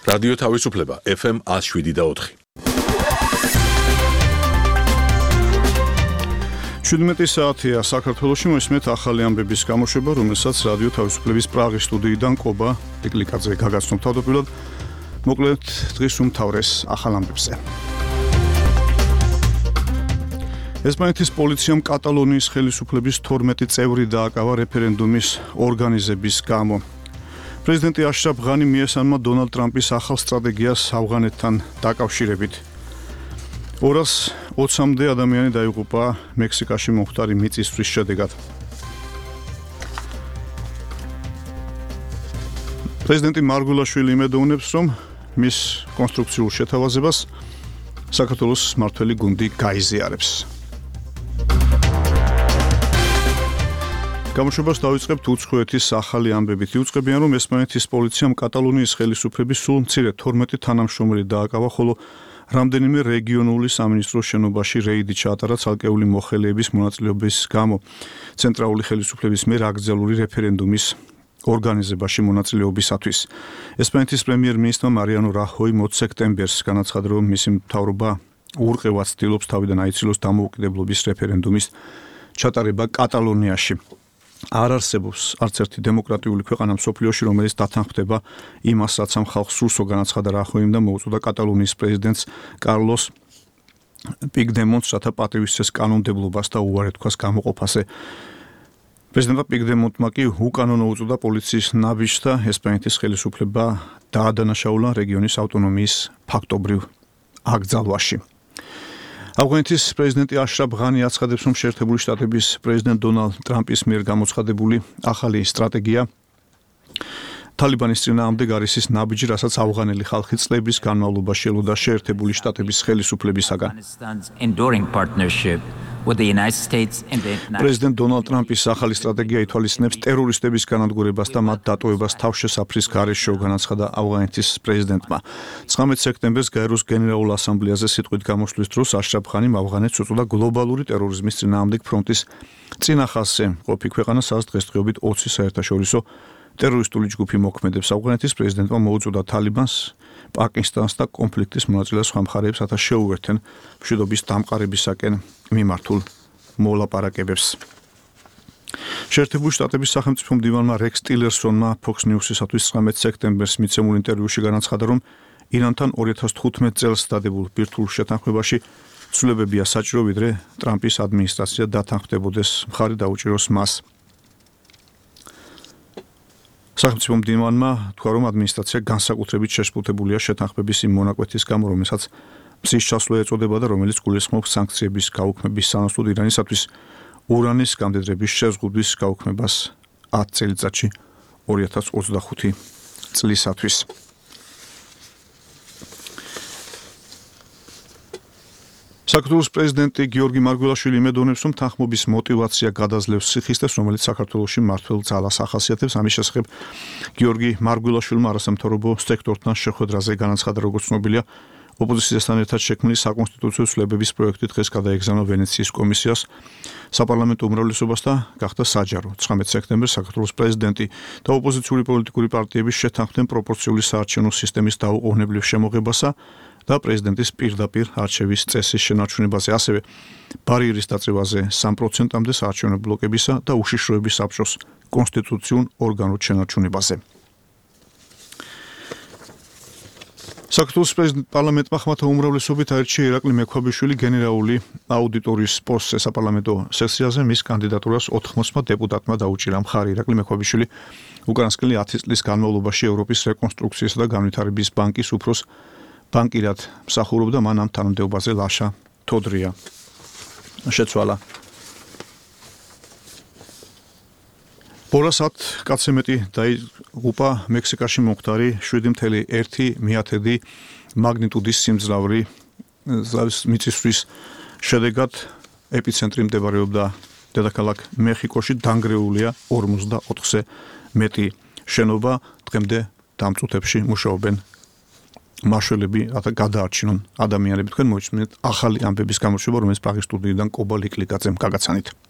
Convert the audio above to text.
რადიო თავისუფლება FM 107.4. 17 საათია საქართველოში მოსმეთ ახალი ამბების გამოშვება, რომელსაც რადიო თავისუფლების პრაღის სტუდიიდან კობა ლიკლიკაძე გაგაცნობ თავდაპირველად. მოკლედ დღის უმთავრეს ახალ ამბებზე. ესპანეთის პოლიციამ კატალონიის ხელისუფლების 12 წევრი დააკავა რეფერენდუმის ორგანიზების გამო. პრეზიდენტი აშრაფ ღანი მიესალმა დონალდ ტრამპის ახალ სტრატეგიას ავღანეთთან დაკავშირებით. 220-მდე ადამიანი დაიღუპა მექსიკაში მომხდარი მიწისძვრის შედეგად. პრეზიდენტი მარგულაშვილი იმედოვნებს, რომ მის კონსტრუქციულ შეთავაზებას საქართველოს მმართველი გუნდი გაიზიარებს. გამოშვებას დავიწყებთ უცხოეთის ახალი ამბებით. იუწყებიან, რომ ესპანეთის პოლიციამ კატალონიის ხელისუფლების სულ მცირე 12 თანამშრომელი დააკავა, ხოლო რამდენიმე რეგიონული სამინისტროს შენობაში რეიდი ჩაატარა ცალკეული მოხელეების მონაწილეობის გამო ცენტრალური ხელისუფლების მიერ აკრძალული რეფერენდუმის ორგანიზებაში მონაწილეობისათვის. ესპანეთის პრემიერ-მინისტრმა მარიანო რახოი 20 სექტემბერს განაცხადა, რომ მისი მთავრობა უურყევად ცდილობს თავიდან აიცილოს დამოუკიდებლობის რეფერენდუმის ჩატარება კატალონიაში. არ არსებობს არც ერთი დემოკრატიული ქვეყანა მსოფლიოში, რომელიც დათანხმდება იმას, რაც ამ ხალხს სურსო, განაცხადა რახოიმ და მოუწოდა კატალონიის პრეზიდენტს კარლოს პიგდემონტს, რათა პატივისცეს კანონმდებლობას და უარი თქვას გამოყოფაზე. პრეზიდენტმა პიგდემონტმა კი უკანონო უწოდა პოლიციის ნაბიჯს და ესპანეთის ხელისუფლება დაადანაშაულა რეგიონის ავტონომიის ფაქტობრივ აკრძალვაში. ავღანეთის პრეზიდენტი აშრაფ ღანი აცხადებს, რომ შეერთებული შტატების პრეზიდენტ დონალდ ტრამპის მიერ გამოცხადებული ახალი სტრატეგია თალიბანის წინააღმდეგ არის ის ნაბიჯი, რასაც ავღანელი ხალხი წლების განმავლობაში ელოდა შეერთებული შტატების ხელისუფლებისაგან. პრეზიდენტ დონალდ ტრამპის ახალი სტრატეგია ითვალისწინებს ტერორისტების განადგურებას და მათ დატოვებას თავშესაფრის გარეშე, განაცხადა ავღანეთის პრეზიდენტმა. 19 სექტემბერს გაეროს გენერალურ ასამბლეაზე სიტყვით გამოსვლის დროს აშრაფ ღანიმ ავღანეთს უწოდა გლობალური ტერორიზმის წინააღმდეგ ფრონტის წინახალხზე ყოფი ქვეყანა, სადაც დღესდღეობით 20 საერთაშორისო ტერორისტული ჯგუფი მოქმედებს. ავღანეთის პრეზიდენტმა მოუწოდა თალიბანს, პაკისტანს და კონფლიქტის მონაწილე სხვა მხარეებს, რათა შეუერთენ მშვიდობის დამყარებისაკენ მიმართულ მოლაპარაკებებს. შეერთებული შტატების სახელმწიფო მდივანმა რექს ტილერსონმა Fox News-ისათვის 19 სექტემბერს მიცემულ ინტერვიუში განაცხადა, რომ ირანთან 2015 წელს დადებულ ბირთვულ შეთანხმებაში ცვლილებებია საჭირო, ვიდრე ტრამპის ადმინისტრაცია დათანხმდებოდეს, მხარი დაუჭიროს მას. სახელმწიფო მდივანმა თქვა, რომ ადმინისტრაცია განსაკუთრებით შეშფოთებულია შეთანხმების იმ მონაკვეთის გამო, რომელსაც მზის ჩასვლა ეწოდება და რომელიც გულისხმობს სანქციების გაუქმების სანაცვლოდ ირანისათვის ურანის გამდიდრების შეზღუდვის გაუქმებას 10 წელიწადში 2025 წლისათვის. საქართველოს პრეზიდენტი გიორგი მარგველაშვილი იმედოვნებს, რომ თანხმობის მოტივაცია გადაძლევს სიხისტეს, რომელიც საქართველოში მმართველ ძალას ახასიათებს. ამის შესახებ გიორგი მარგველაშვილმა არასამთავრობო სექტორთან შეხვედრაზე განაცხადა, როგორც ცნობილია, ოპოზიციასთან ერთად შექმნილი საკონსტიტუციო ცვლილებების პროექტი დღეს გადაეგზავნა ვენეციის კომისიას საპარლამენტო უმრავლესობას და გახდა საჯარო. 19 სექტემბერს საქართველოს პრეზიდენტი და ოპოზიციური პოლიტიკური პარტიების შეთანხმდნენ პროპორციული საარჩევნო სისტემის დაუყოვნებლივ შემოღებასა და პრეზიდენტის პირდაპირ არჩევის წესის შენარჩუნებაზე, ასევე ბარიერის დაწევაზე 3%-მდე საარჩევნო ბლოკებისა და უშიშროების საბჭოს კონსტიტუციურ ორგანოდ შენარჩუნებაზე. საქართველოს პარლამენტმა ხმათა უმრავლესობით აირჩია ირაკლი მექვაბიშვილი გენერალური აუდიტორის პოსტზე. საპარლამენტო სესიაზე მის კანდიდატურას 80 დეპუტატმა დაუჭირა მხარი. ირაკლი მექვაბიშვილი უკანასკნელი 10 წლის განმავლობაში ევროპის რეკონსტრუქციისა და განვითარების ბანკის უფროს ბანკირად მსახურობდა, მან ამ თანამდებობაზე ლაშა თოდრია შეცვალა. ბოლოს 10 კაცზე მეტი დაიღუპა მექსიკაში მომხდარი 7.1 მაგნიტუდის სიმძლავრის მიწისძვრის შედეგად. ეპიცენტრი მდებარეობდა დედაქალაქ მეხიკოში, დანგრეულია 44-ზე მეტი შენობა. დღემდე დამწუთებში მუშაობენ მაშველები, რათა გადაარჩინონ ადამიანები. თქვენ მოიწმინეთ ახალი ამბების გამოშვება, რომელიც პრაღის სტუდიიდან კობა ლიკლიკაძემ გაგაცანით.